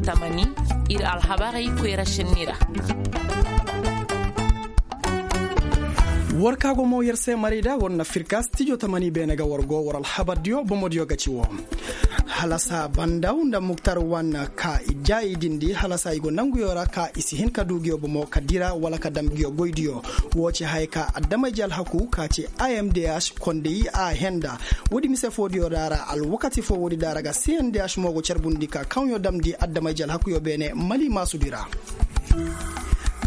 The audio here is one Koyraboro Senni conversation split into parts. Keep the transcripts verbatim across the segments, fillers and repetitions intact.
Tamani, ir alhabarey koyra šenni ra. War ka go mo yer se maray da war na firka stijo tamani beene ga war go war alhabardiyo bomodiyo ga ci wo. Halasa bandaw nda muktar wan ka i ja i dindi halasa i go nanguyo ra ka i si hin ka du nguyo bomo ka dira wala ka dam nguyo goydiyo. Wo ci haya ka adamay jalhaku ka ci imdh konday a henda. Woodi mise foodiyo da ra alwakati fo woodi da ra ga cndh mo go carbundi ka kaŋyo damndi adamay jalhakuyo beene mali maasudi ra.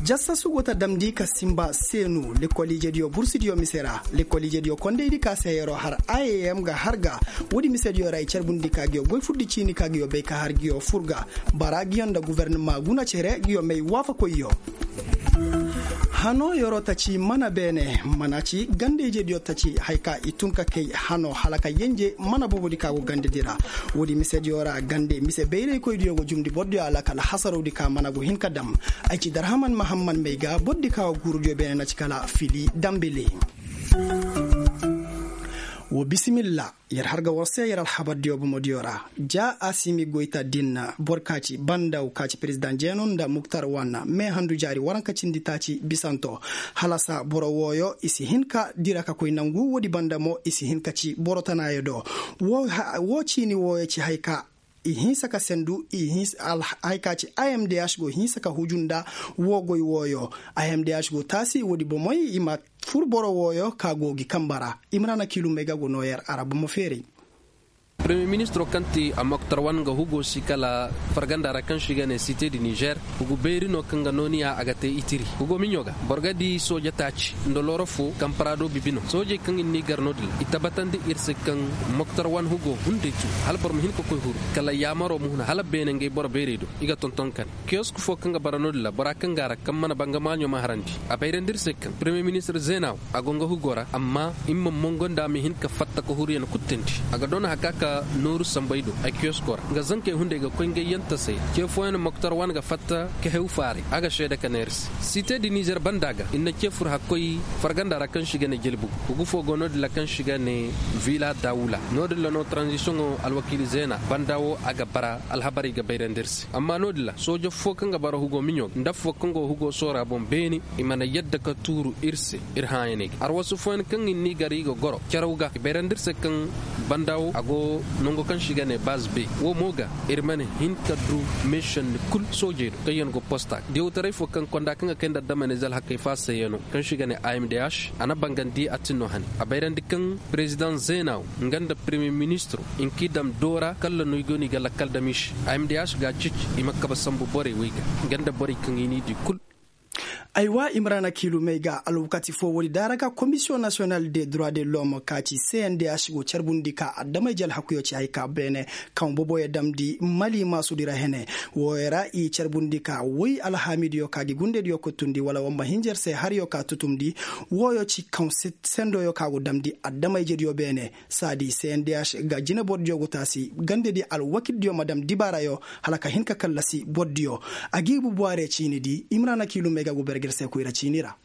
Jassasu go ta damndi ka sinba seenu lekkol ijediyo bursidiyo mise ra. Lekkol ijediyo kondaydi ka se yeroo har iam ga har ga. Woodi misediyo ra i carbundi ka nguyo goy furdi ciini ka nguyo bay ka har nguyo fur ga. Bara nguyo nda gubernama guna cere nguyo may waafakoyyo. Hanoo yeroo ta ci mana beene mana ci gande ijediyo ta ci haya ka i tun ka kay hanoo hala ka yenje mana boobodi ka go gandedi ra. Woodi misediyo ra gande mise bayraykoydiyo go jumndi bordiyo alakal hasarowdi ka mana go hin ka dam. Ay ci darhaman mahamman may ga bordi ka go guurudiyo beene na ci kala fili dambili. Wo bisimilla. Yer har ga war se yer alhabardiyo bomodiyo ra ja asimi goyta din boro ka ci bandaw ka ci perezidaŋ jeenu nda muktar wan mee handu jaari waranka cindi taaci bisanto. Halasa boro wooyo i si hin ka dira ka koy nangu woodi banda mo i si hin ka ci boro tanaayo do. Wo ciini wooyo ci haya ka i hinsa ka sendu i hinsa haya ka ci imdh go hinsa ka huju nda woo goy wooyo. Imdh go taasi woodi bomoy i ma fur boro wooyo ka go gi kamba ra. Imrana kiilumey ga go noo yer ara bomo feeray. Premiyer ministiroo kaŋ ti a moktar wan nga hugo si kala farganda ra kaŋ se i ga ne site di nizer. Hugu beeri no kaŋ ga nooniya a ga te itiri hugo miɲo ga boro ga di sooja taaci nda looro fo kaŋ parado bibi no soojey kaŋ ir n'i gar no-din ra i tabatandi ir se kaŋ moktar wan hugo hunday tu hala boro ma hin ka koy huru kala yaamaroo ma huna hala beene ngey boro beerey do i ga tonton kane. Kiyosk fo kaŋ ga bara no-din ra bora kaŋ ga a ra kaŋ mana ba nga maaɲo ma harandi a bayrandi ir se kaŋ premiyer ministir zeenaaw a go nga hugo ra amma i ma mongo nda a ma hin ka fatta ka huru yaŋ kuttandi. A ga doona haka ka nooru sambey do ay kiyosko ra nga zankey hunday ga koy ngey yaŋ tasay. Ce fooyaŋ moktar wane ga fatta ka hew faaray a ga seede ka neera se site di nizer banda ga ir na ce fur hakkoy farganda ra kaŋ se i ga ne jelbu. Hugu fo go no-din ra kaŋ se i ga ne vila dawula no-din ra no taranzisiyoŋo alwakiili zeena banda wo a ga bara alhabarey ga bayrandi ir se amma no-din ra soojo fo kaŋ ga bara hugo miɲo nda fo kaŋ go hugo soora boŋ beene. I mana yadda ka tuuru ir se ir hãayaney ga arwasu fooyaŋ kaŋ ir n'i gar i ga goro caraw ga i bayrandi ir se kaŋ banda wo a go nango kaŋ se i ga ne baz be wo mo ga ir mana hin ka du meešandi kul soojey do kaŋ yaŋ go posta ga diyawtaray fo kaŋ konda kaŋ ga kay nda adamanize alhakey faasayaŋo kaŋ se i ga ne imdh a na bangandi a tin no hane a bayrandi kaŋ perezidaŋ zeena wo nga nda premiyer ministiro i nka i daŋ doora kalla no i go no i ga lakkal dam i se. Imdh ga a ceeci i ma kabe sambu borey wey ga nga nda borey kaŋ i n'i di kul. Aywa imrana kiilumey ga alwakati fo woodi daara ga komisiyoŋ nasiyonal de droit de l'homme ka ci cndh go carbundi ka adamay jal hakkuyo ci hay ka beene kaŋ boboyo damndi mali maasudi ra hene. Wooyo ra i carbundi ka woy alhaamidiyo ka gi gundediyo kuttundi wala wamma hinjer se hariyo ka tutumndi. Wooyo ci kaŋ sendoyo ka go damndi adamay jediyo beene saadi cndh ga jine bordiyo go taasi gandedi alwakildiyo ma dam dibaarayo hala ka hin ka kallasi bordiyo. A gi bubuwaare ciinidi imrana kiilumey ga go berger se koyra ciini ra.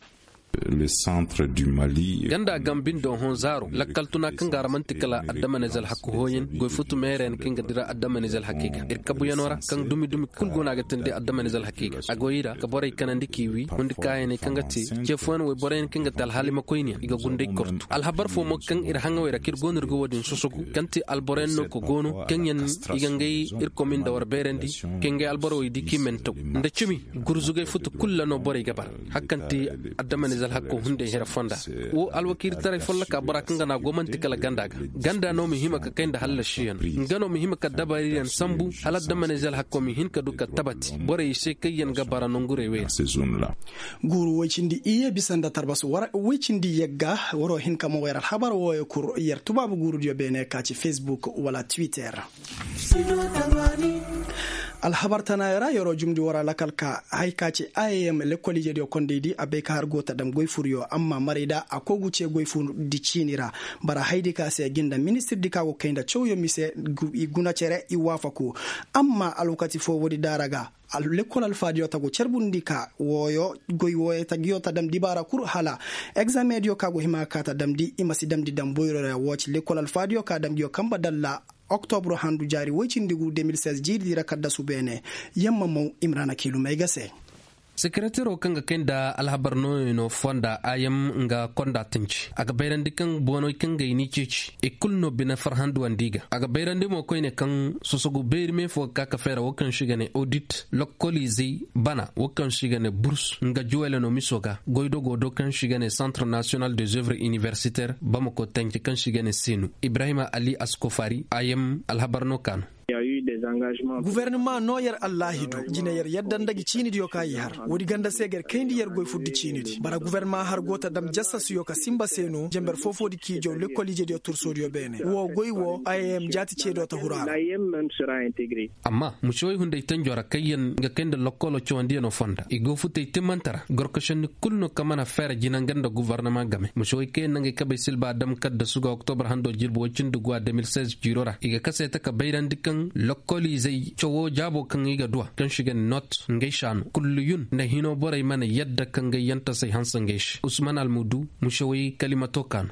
Ganda gambindo hõ zaaro lakkal tuna kaŋ ga ra man'ti kala adamanize alhakku hooyaŋ goy futu meereyaŋ kaŋ ga dira adamanize alhakkey ga ir kabuyaŋo ra kaŋ dumi dumi kul go no a ga teendi adamanize alhakkey ga a go i ra ka borey kanandi k'i wi hundi kaayaney kaŋ ga te ce fooyaŋ woy boroyaŋ kaŋ ga te alhaalimakoyniyaŋ i ga gunday kortu alhabar fo mo kaŋ ir haŋawey ra kaŋ ir go no ir ga wo-din sosogu kaŋ te alboroyaŋ no ka go no kaŋ yaŋ i ga ngey ir kominda war beerandi kaŋ ngey alborowey di k'i mantaw nda cimi gurzugay futu kul ra no borey ga bara. Hari kaŋ te adamanize alhakko hunday hira fonda wo alwakiilitaray folloka bora kaŋ ga no a go man'ti kala ganda ga ganda no ma hima ka kay nda hallasiyaŋ nga no ma hima ka dabariyaŋ sambu hala adamanize alhakko ma hin ka du ka tabati borey se kaŋ yaŋ ga bara nongurey wey ra. Guuru woy cindi iyye bisa nda tarbas woy cindi yagga waroo hin ka mo yer alhabar wooyo kul yer tubaabu guurudiyo beene ka ci facebook wala twitter. Alhabar tanaayo ra yeroo jumndi war a lakal ka hay ka ci iam lekkol ijediyo kondaydi a bay ka har go ta dam goy furyo amma marayda a koy gu ce goy furdi ciini ra. Bara haydi ka se gi nda ministirdi ka go kay nda cawyo mise i guna cere i waafaku. Amma alwakati fo woodi daara ga lekkol alfaadiyo ta go carbundi ka wooyo goy wooyo ta giyo ta dam dibaara kul hala egzameŋdiyo ka go hima ka ka ta damndi i ma si damndi dam boyro ra woo ci lekkol alfaadiyo ka dam giyo kamba dalla. oktobro handu jaari woy cindi gu de mil seize jiiri di ra kaddasu beene. Yamma maw imrana kiilumey ga se. Sekereteroo kaŋ ga kay nda alhabar nooyey no fonda a yam nga konda tanci a ga bayrandi kaŋ bonoy kaŋ ga i n'i ceeci i kulu no bine farhanduwandi i ga a ga bayrandi mo koyne kaŋ sosogu beeri me fo ga ka ka feera wo kaŋ se i ga ne odit lokkoliizey bana wo kaŋ se i ga ne burs nga juwele no miso ga goydogo do kaŋ se i ga ne santre nasiyonal des oeuvres iniversitaire bamako tanci kaŋ se i ga ne seenu ibrahima ali askofari a yam alhabar no ka no. Gufornama no yer allaahidu jine yer yadda nda gi ciinidiyo ka i har woodi ganda se ga yer kayndi yer goy furdi ciinidi bara gufornama har go ta dam jassasuyo ka sinba se no jenber foofoodi k'i jaw lekkol ijediyo tursoodiyo beene wo goy wo a yem jaati ceediyo ta huru a ra. Amma musewey hunday tanjo ra kaŋ yer ga kay nda lokkoloo cawandiyano fonda i go futey timmante ra gorkosenni kul no kaŋ mana feera jinanga nda gufornama game musewey kaŋ yer na ngey kabey silba dam kaddasu ga oktobar hando jirbi woy cindi guwa de mil seize jiiro ra i ga kase ta ka bayrandi kaŋ lokkoliizey cawo jaabo kaŋ i ga duwa kaŋ se i ga ne not ngey saanu kulliyun nda hino borey mana yadda ka ngey yantasey hanse ngey se usman almudu musewey kalimato ka no.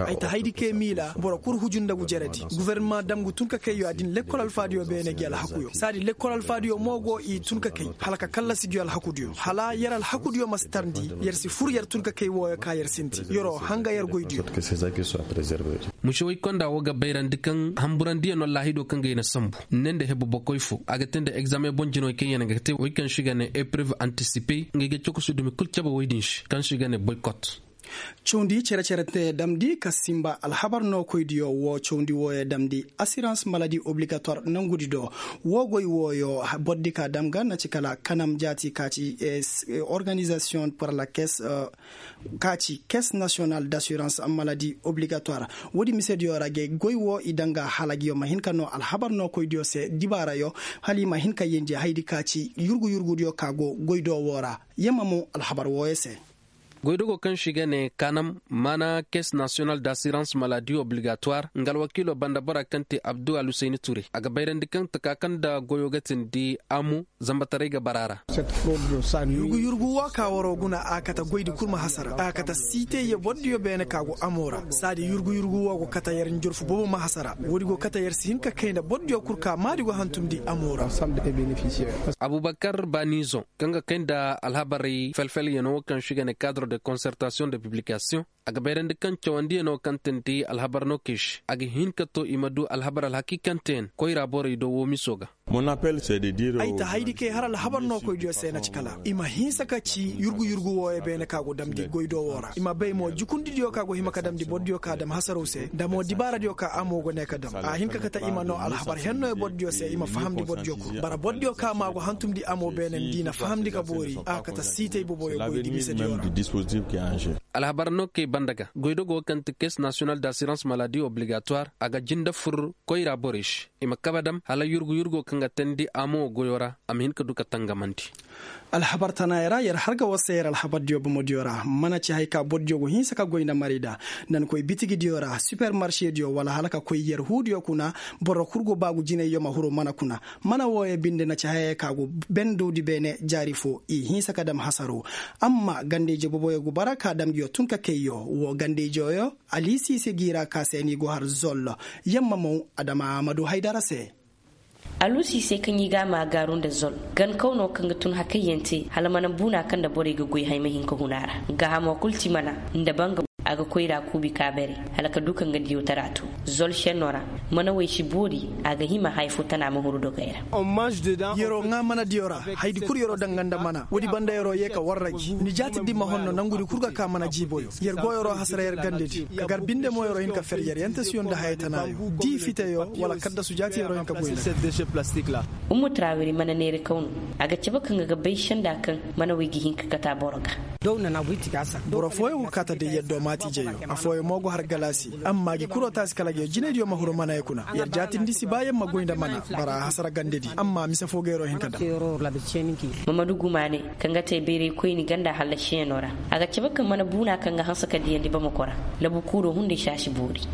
Ay ta haydi kay miila boro kul huju nda ngu jeredi gufornama dam ngu tun ka kay yo a din lekkol alfaadiyo beene gi alhakuyo saadi lekkol alfaadiyo mo go i tun ka kay hala ka kallasi gi alhakudiyo hala yer alhakudiyo ma si tarndi yer si fur yer tun ka kay wooyo ka yer sinti yeroo hanga yer goydiyo. Musewey konda wo ga bayrandi kaŋ hamburandiyano laahido kaŋ ga i na sambu ne nda hebu bokoy fo a ga te nda egzame boŋ jinawey kaŋ yaŋ ga te wey kaŋ se i ga ne epreuve antisipe ngey ga cokosu dumi kul cabe wey din se kaŋ se i ga ne boykot. Cawndi cere-cere te damndi ka sinba alhabar nookoydiyo woo cawndi wooyo damndi asirans maladi obligatoire nangudi do woo goy wooyo bordi ka dam ga na ci kala kanam jaati ka ci organizasiyoŋ par la caisse ka ci caisse nasiyonal d'asirans maladi obligatoire. Woodi misediyo ra ga goy woo i danga hala ngiyo ma hin ka noo alhabar nookoydiyo se dibaarayo hala i ma hin ka yenje haydi ka ci yurgu-yurgudiyo ka go goy do woo ra. Yamma mo alhabar wooyo se. Goydogo kaŋ se i ga ne kanam mana caisse nasiyonal d'asirans maladi obligatoire nga alwakiilo banda bora kaŋ te abdu alhusayni ture a ga bayrandi kaŋ taka kaŋ nda goyo ga tindi amu zambataray ga bara ra. Yurgu yurgu wo ka waro guna a kata goydi kul ma hasara a kata siitey ye bordiyo beene ka go amo ra saadi yurgu yurgu wo go kata yer njorfu boobo ma hasara woodi go kata yer si hin ka kay nda bordiyo kul ka maadi go hantumndi amo ra. Abubakar banizo kaŋ ga kay nda alhabarey felfelyano wo kaŋ se i ga ne cadre de concertation de publication a ga bayrandi kaŋ cawandiyano kaŋ tindi alhabar no kay se a ga hin ka to i ma du alhabar alhakiikanteyaŋ koyra borey do woo miso ga. Ay ta haydi kay har alhabar no koydiyo se na ci kala i ma hinsa ka ci yurgu yurgu wooyo beene ka go damndi goydo woo ra i ma bay mo jukundidiyo ka go hima ka damndi bordiyo ka dam hasaraw se nda mo dibaaradiyo ka amo go ne ka dam a hin ka kate i ma no alhabar hennoyo bordiyo se i ma fahamndi bordiyo kul bara bordiyo ka ma go hantumndi amo beene nda i na fahamndi ka boori a kate siitey boboyo goydi misediyo ra. Alhabar no kay banda ga goydogo kaŋ ti caisse nasiyonal d'asirans maladi obligatoire a ga jinde fur koyra borey se i ma kabe dam hala yurgu yurgo kaŋ ga teendi amo goyo ra a ma hin ka du ka tangamandi. Alhabar tanaayey ra yer har ga war se yer alhabardiyo bomodiyo ra mana ci haya ka bordiyo go hinsa ka goy nda marayda nda ni koy bitigidiyo ra sipermarsediyo wala hala ka koy yer huudiyo kuna. Boro kul go baagu jinayyo ma huru mana kuna mana wooyo binde na ci hayey ka go bendowdi beene jaari fo i hinsa ka dam hasaro. Amma gandayje boboyo go bara ka dam ngiyo tun ka kayyo woo gandayjeyo. Alisiise g'i ra ka se ni go har zol yamma mo adama amadu haydara se. Alusiisey kaŋ i ga a ma gaaru nda zol gankawno kaŋ ga tun hakayyaŋ te hala mana buuna kaŋ nda borey ga goy hay ma hin ka hun a ra. Gaahamo kul ti mana nda banga a ga koyra kuubi ka bare hala ka du ka nga diyawtara to. Zol šenno ra mana wey si boori a ga hima haya fo tana ma huru dogey ra. Yeroo ŋaa mana diyo ra haydi kul yeroo danga nda mana woodi banda yeroo yee ka warra gi ni jaatidi ma honno nangudi kul ga ka mana jiiboyo. Yer go yeroo hasara yer gandedi ka gar binde mo yeroo hin ka fer yer yantasiyo nda haya tanaayo dii fiteyo wala kaddasu jaati yeroo hin ka goy nda. Ummu trawiri mana neeri kaw no a ga cabe kaŋ ga ga bay senda kaŋ mana wey ga hin ka kata boro ga. Boro fooyaŋ go kaata day yaddo maati jeyo afooyaŋ mo go har galaasi amma gi kuroo taasi kala ga jinaydiyo ma huru manayey kuna yer jaatindi si ba yer ma goy nda mana bara a hasara gandedi amma mise foo ga yeroo hin ka daŋ. Mamadu gumaane kaŋ ga te bayraykoyni ganda hallasiyaŋo ra a ga cabe kaŋ mana buuna kaŋ ga hanse ka diyandi bamako ra. Labu kuuroo hunday se a si boori.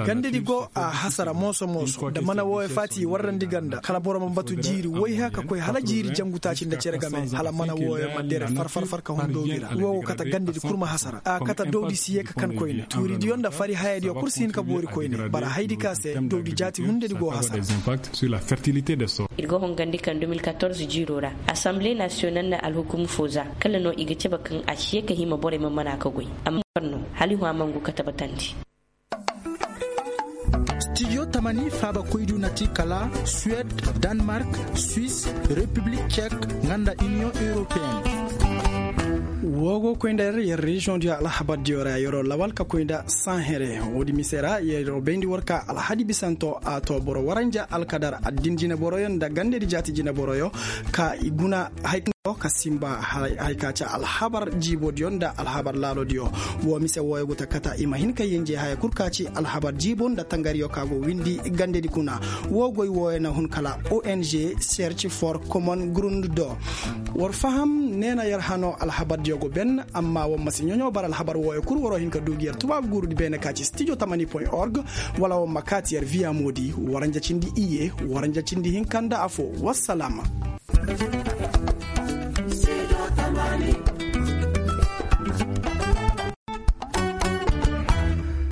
Gandedi go a hasara mooso mooso nda mana wooyo faati i warrandi ganda kala boro ma batu jiiri wayha ka koy hala jiiri jangu taaci nda cere game hala mana wooyo ma dere far far far ka hun doobi ra woo go kate gandedi kul ma hasara. A kata dowdi si ye ka kan koyne tuuridiyo nda fari hayadiyo kul si hin ka boori koyne bara haydi ka se dowdi jaati hundedi go hasara. Ir go hongandi kaŋ deux mille quatorze jiiro ra, assemblee national na alhukum fo za kala no i ga cabe kaŋ a si ye ka hima borey ma mana ka goy amma no hali hwa mangu ka tabbatandi. Studio tamani faaba koydu na ti kala suwed, danmark, suis, republik cek, nga nda iniyoŋ europeen. Woo go koy nda yer yer reziyoŋ diyo alhabar diyo ra yeroo lawal ka koy nda sanhere. Woodi mise ra yeroo bayndi war ka alhadi bisanto a to boro waranja alkadar addin jineboroyo nda gandedi jaati jineboroyo ka i guna hay ka simba. Hay ka ci alhabar jiibo diyo nda alhabar laalo diyo. Woo mise wooyo go ta kata i ma hin ka yenje haya kul ka ci alhabar jiibo nda tangariyo ka go windi gandedi kuna. Woo goy wooyo na hun kala ong search for common grund do. War faham neena yer hano alhabar diyo go ben amma war ma si ɲoɲo bara alhabar wooyo kul waroo hin ka duu gi yer tubaabu guurudi beene ka ci studio tamani point org. Wala war ma kaati yer viya moodi waranja cindi iyye waranja cindi hinka nda afo. Wassalaama.